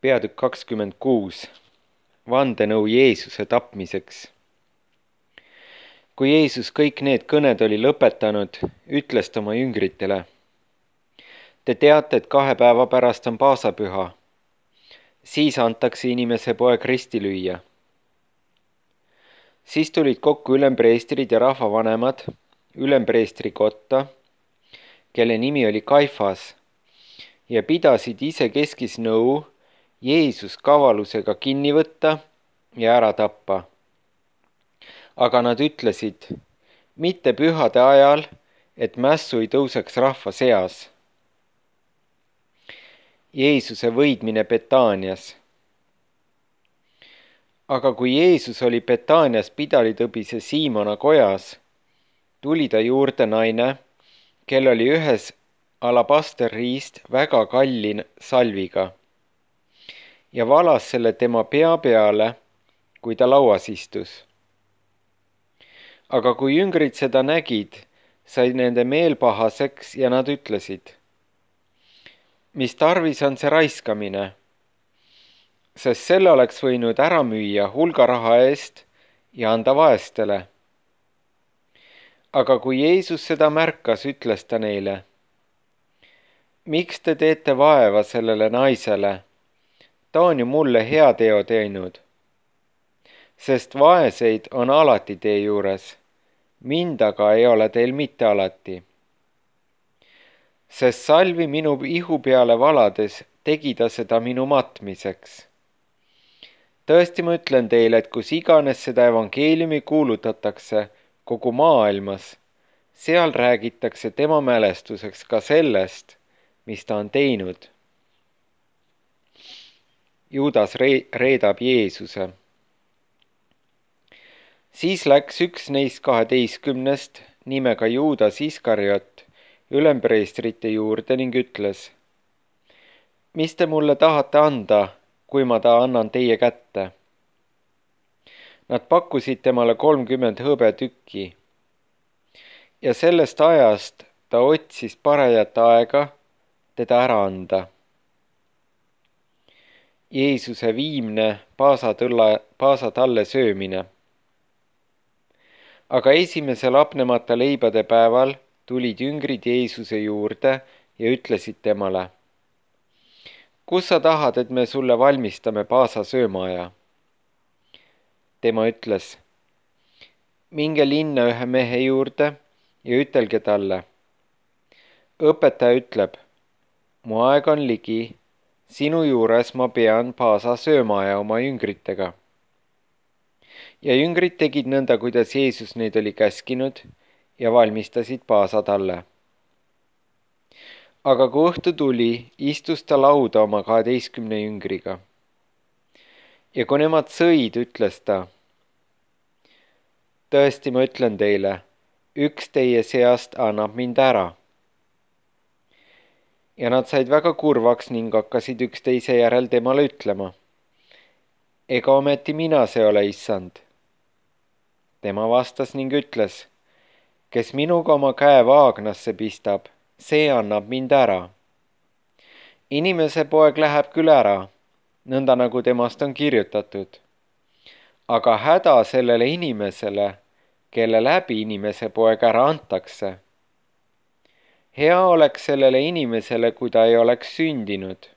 Peatükk 26. Vandenõu Jeesuse tapmiseks. Kui Jeesus kõik need kõned oli lõpetanud, ütles ta oma jüngritele: Te teate, et 2 päeva pärast on paasapüha. Siis antakse inimese poeg risti lüüa. Siis tulid kokku ülempreestrid ja rahvavanemad ülempreestri kotta, kelle nimi oli Kaifas, ja pidasid isekeskis nõu Jeesus kavalusega kinni võtta ja ära tappa. Aga nad ütlesid, mitte pühade ajal, et mässu ei tõuseks rahva seas. Jeesuse võidmine Betaanias. Aga kui Jeesus oli Betaanias pidalitõbise Siimona kojas, tuli ta juurde naine, kel oli ühes alabasterriist väga kalli salviga, ja valas selle tema pea peale, kui ta lauas istus. Aga kui jüngrid seda nägid, sai nende meel pahaseks ja nad ütlesid: Mis tarvis on see raiskamine? Sest selle oleks võinud ära müüa hulga raha eest ja anda vaestele. Aga kui Jeesus seda märkas, ütles ta neile: Miks te teete vaeva sellele naisele? Ta on ju mulle hea teo teinud. Sest vaeseid on alati tee juures, mind aga ei ole teil mitte alati. Sest salvi minu ihu peale valades tegi ta seda minu matmiseks. Tõesti ma ütlen teile, et kus iganes seda evangeeliumi kuulutatakse kogu maailmas, seal räägitakse tema mälestuseks ka sellest, mis ta on teinud. Juudas reedab Jeesuse. Siis läks üks neist 12 nimega Juudas Iskariot ülempreestrite juurde ning ütles: Mis te mulle tahate anda, kui ma ta annan teie kätte? Nad pakkusid temale 30 hõbetükki. Ja sellest ajast ta otsis parajat aega teda ära anda. Jeesuse viimne paasatalle söömine. Aga esimesel hapnemata leibade päeval tulid jüngrid Jeesuse juurde ja ütlesid temale: Kus sa tahad, et me sulle valmistame paasa söömaaja? Tema ütles: Minge linna ühe mehe juurde ja ütelge talle: Õpetaja ütleb, mu aeg on ligi, sinu juures ma pean paasa söömaaja oma jüngritega. Ja jüngrid tegid nõnda, kuidas Jeesus neid oli käskinud ja valmistasid paasa talle. Aga kui õhtu tuli, istus ta lauda oma 12 jüngriga. Ja kui nemad sõid, ütles ta: Tõesti ma ütlen teile, üks teie seast annab mind ära. Ja nad said väga kurvaks ning hakkasid üksteise järel temale ütlema: Ega ometi mina see ole, issand. Tema vastas ning ütles: Kes minuga oma käe vaagnasse pistab, see annab mind ära. Inimese poeg läheb küll ära, nõnda nagu temast on kirjutatud. Aga häda sellele inimesele, kelle läbi inimese poeg ära antakse. Hea oleks sellele inimesele, kui ta ei oleks sündinud.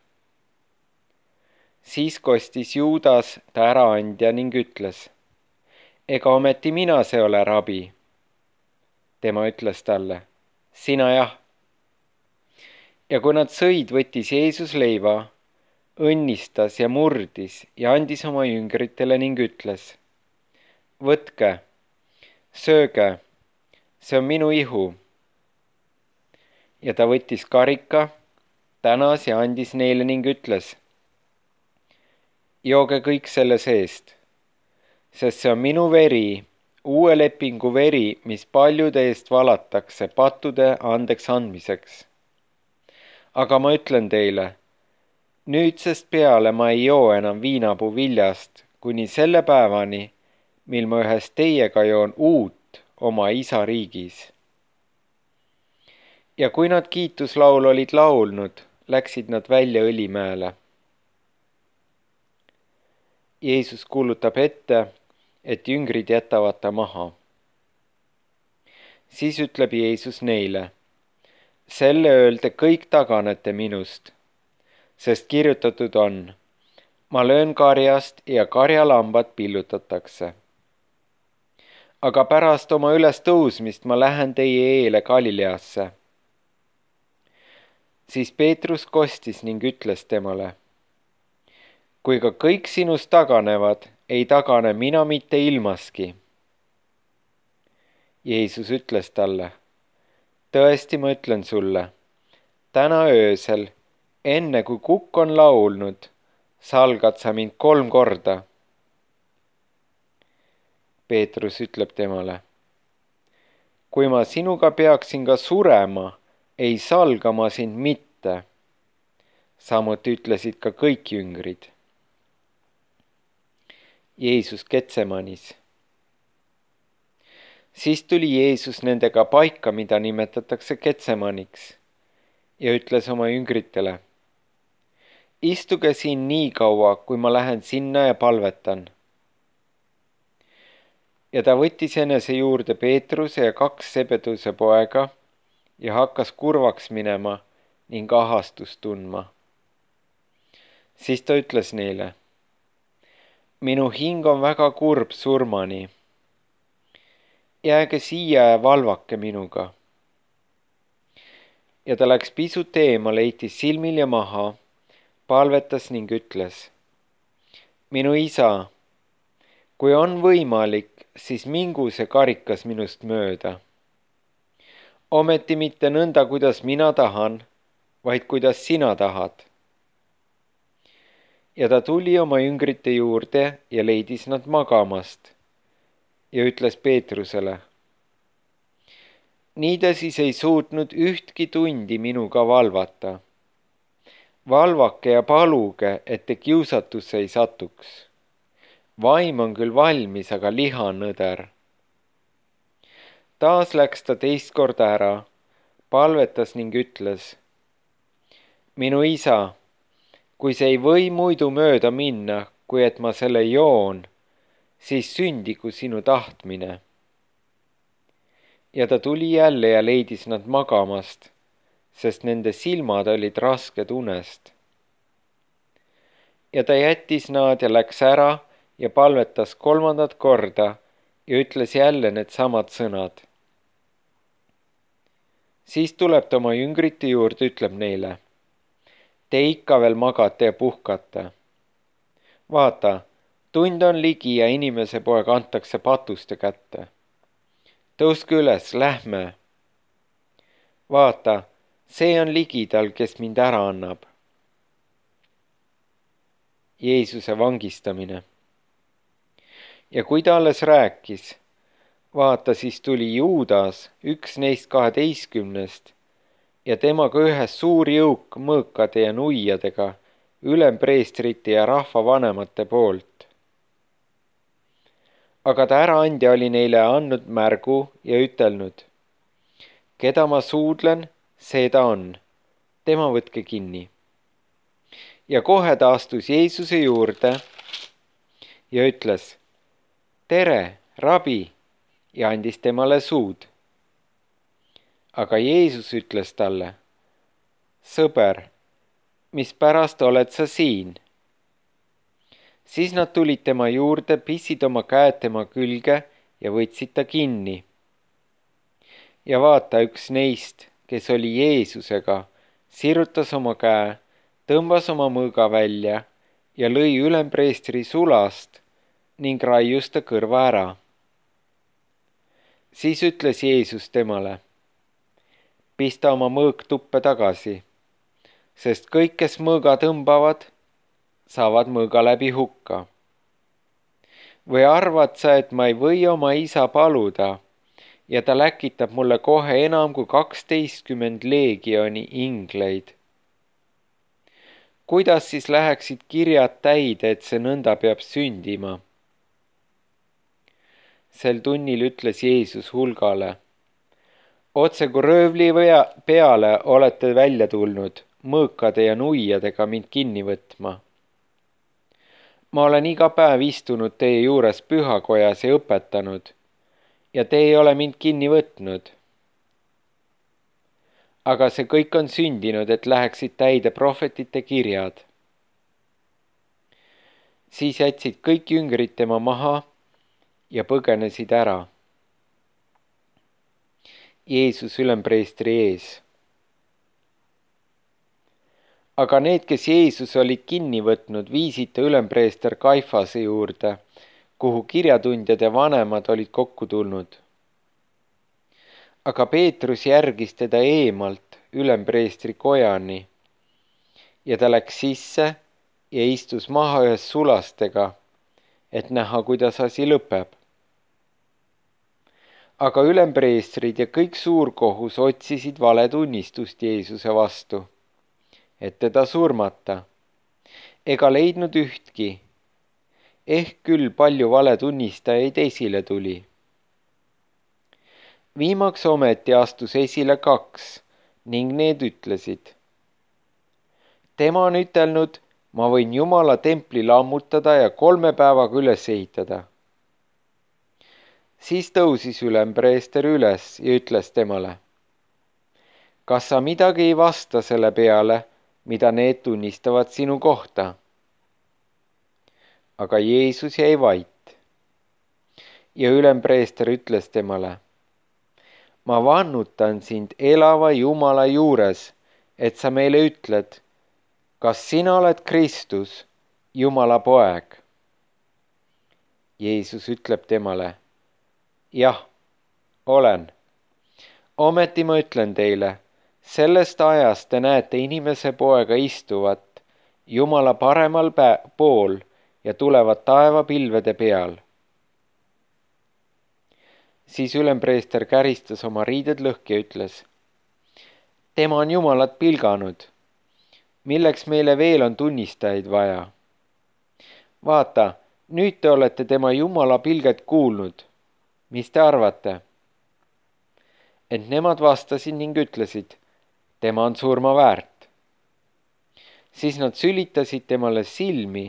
Siis kostis Juudas ta äraandja ning ütles: Ega ometi mina see ole, rabi. Tema ütles talle: Sina jah. Ja kui nad sõid, võttis Jeesus leiva, õnnistas ja murdis ja andis oma jüngritele ning ütles: Võtke, sööge, see on minu ihu. Ja ta võttis karika, tänas ja andis neile ning ütles: Jooge kõik selle seest, sest see on minu veri, uue lepingu veri, mis paljude eest valatakse pattude andeks andmiseks. Aga ma ütlen teile, nüüdsest peale ma ei joo enam viinapuu viljast, kuni selle päevani, mil ma ühes teiega joon uut oma isa riigis. Ja kui nad kiituslaulu olid laulnud, läksid nad välja Õlimäele. Jeesus kuulutab ette, et jüngrid jätavad ta maha. Siis ütleb Jeesus neile: selle öelde kõik taganete minust, sest kirjutatud on: ma löön karjast ja karjalambad pillutatakse. Aga pärast oma ülestõusmist ma lähen teie eele Galileasse. Siis Peetrus kostis ning ütles temale: kui ka kõik sinust taganevad, ei tagane mina mitte ilmaski. Jeesus ütles talle: tõesti, ma ütlen sulle, täna öösel, enne kui kukk on laulnud, salgad sa mind 3 korda. Peetrus ütleb temale: kui ma sinuga peaksin ka surema, ei salga ma sind mitte. Samuti ütlesid ka kõik jüngrid. Jeesus Getsemanis. Siis tuli Jeesus nendega paika, mida nimetatakse Getsemaniks, ja ütles oma jüngritele: istuge siin nii kaua, kui ma lähen sinna ja palvetan. Ja ta võttis enese juurde Peetruse ja 2 Sebeduse poega ja hakkas kurvaks minema ning ahastust tundma. Siis ta ütles neile: minu hing on väga kurb surmani. Jääge siia ja valvake minuga. Ja ta läks pisut eemale, heitis silmilja maha, palvetas ning ütles: minu isa, kui on võimalik, siis mingu see karikas minust mööda. Ometi mitte nõnda, kuidas mina tahan, vaid kuidas sina tahad. Ja ta tuli oma jüngrite juurde ja leidis nad magamast ja ütles Peetrusele: nii te siis ei suutnud ühtki tundi minuga valvata. Valvake ja paluge, et te kiusatusse ei satuks. Vaim on küll valmis, aga liha on nõder. Taas läks ta 2 korda ära, palvetas ning ütles: minu isa, kui see ei või muidu mööda minna, kui et ma selle joon, siis sündigu sinu tahtmine. Ja ta tuli jälle ja leidis nad magamast, sest nende silmad olid rasked unest. Ja ta jättis nad ja läks ära ja palvetas 3. korda ja ütles jälle needsamad sõnad. Siis tuleb ta oma jüngrite juurde, ütleb neile: te ikka veel magate ja puhkate. Vaata, tund on ligi ja inimese poeg antakse patuste kätte. Tõuske üles, lähme. Vaata, see on ligidal, kes mind ära annab. Jeesuse vangistamine. Ja kui ta alles rääkis, vaata, siis tuli Juudas, üks neist 12, ja temaga ühes suur jõuk mõõkade ja nuiadega, ülempreestrite ja rahvavanemate poolt. Aga ta äraandja oli neile andnud märgu ja ütelnud: keda ma suudlen, see ta on, tema võtke kinni. Ja kohe ta astus Jeesuse juurde ja ütles: tere, rabi, ja andis temale suud. Aga Jeesus ütles talle: sõber, mispärast oled sa siin? Siis nad tulid tema juurde, pissid oma käed tema külge ja võtsid ta kinni. Ja vaata, üks neist, kes oli Jeesusega, sirutas oma käe, tõmbas oma mõõga välja ja lõi ülempreestri sulast ning raius ta kõrva ära. Siis ütles Jeesus temale: pista oma mõõk tuppe tagasi, sest kõik, kes mõõga tõmbavad, saavad mõõga läbi hukka. Või arvad sa, et ma ei või oma isa paluda ja ta läkitab mulle kohe enam kui 12 leegioni ingleid? Kuidas siis läheksid kirjad täide, et see nõnda peab sündima? Sel tunnil ütles Jeesus hulgale: otse kui röövli peale olete välja tulnud mõõkade ja nuiadega mind kinni võtma. ma olen iga päev istunud teie juures pühakojas ja õpetanud ja te ei ole mind kinni võtnud. Aga see kõik on sündinud, et läheksid täide prohvetite kirjad. Siis jätsid kõik jüngrid tema maha ja põgenesid ära. Jeesus ülempreestri ees. Aga need, kes Jeesus olid kinni võtnud, viisid ta ülempreester Kaifase juurde, kuhu kirjatundjad ja vanemad olid kokku tulnud. Aga Peetrus järgis teda eemalt ülempreestri kojani ja ta läks sisse ja istus maha ühes sulastega, et näha, kuidas asi lõpeb. Aga ülempreestrid ja kõik suurkohus otsisid valetunnistust Jeesuse vastu, et teda surmata, ega leidnud ühtki, ehk küll palju valetunnistajaid esile tuli. Viimaks ometi astus esile 2 ning need ütlesid: tema on ütelnud, ma võin Jumala templi lammutada ja 3 päevaga üles ehitada. Siis tõusis ülempreester üles ja ütles temale: kas sa midagi ei vasta selle peale, mida need tunnistavad sinu kohta? Aga Jeesus jäi vait. Ja ülempreester ütles temale: ma vannutan sind elava Jumala juures, et sa meile ütled, kas sina oled Kristus, Jumala poeg? Jeesus ütleb temale: jah, olen. Ometi ma ütlen teile, sellest ajast te näete inimese poega istuvat Jumala paremal pool ja tulevat taevapilvede peal. Siis ülempreester käristas oma riided lõhki ja ütles: tema on Jumalat pilganud. Milleks meile veel on tunnistajaid vaja? Vaata, nüüd te olete tema Jumala pilget kuulnud. Mis te arvate? Ent nemad vastasid ning ütlesid: tema on surma väärt. Siis nad sülitasid temale silmi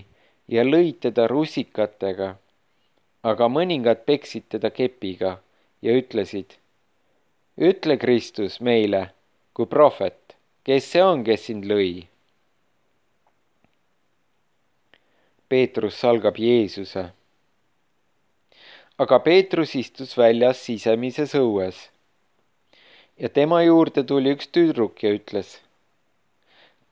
ja lõid teda rusikatega, aga mõningad peksid teda kepiga ja ütlesid: ütle Kristus meile kui prohvet, kes see on, kes sind lõi? Peetrus salgab Jeesuse. Aga Peetrus istus väljas sisemises õues ja tema juurde tuli üks tüdruk ja ütles: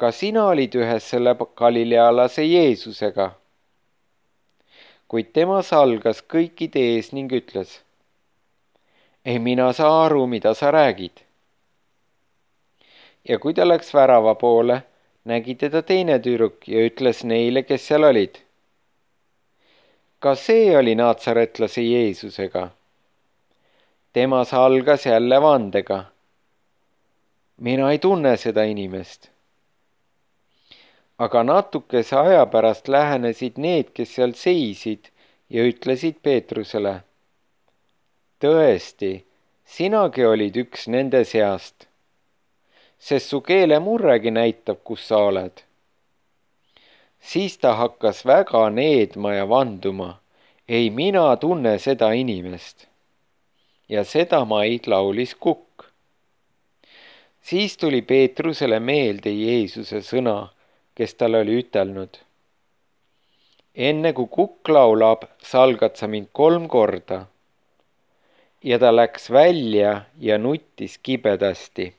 ka sina olid ühes selle galilealase Jeesusega? Kuid tema salgas kõikide ees ning ütles: ei mina saa aru, mida sa räägid. Ja kui ta läks värava poole, nägi teda teine tüdruk ja ütles neile, kes seal olid: ka see oli naatsaretlase Jeesusega. Tema salgas jälle vandega: mina ei tunne seda inimest. Aga natukese aja pärast lähenesid need, kes seal seisid ja ütlesid Peetrusele: tõesti, sinagi olid üks nende seast, sest su keelemurregi näitab, kus sa oled. Siis ta hakkas väga needma ja vanduma: ei mina tunne seda inimest. Ja seda maid laulis kukk. Siis tuli Peetrusele meelde Jeesuse sõna, kes talle oli ütelnud: enne kui kukk laulab, salgad sa mind 3 korda. Ja ta läks välja ja nuttis kibedasti.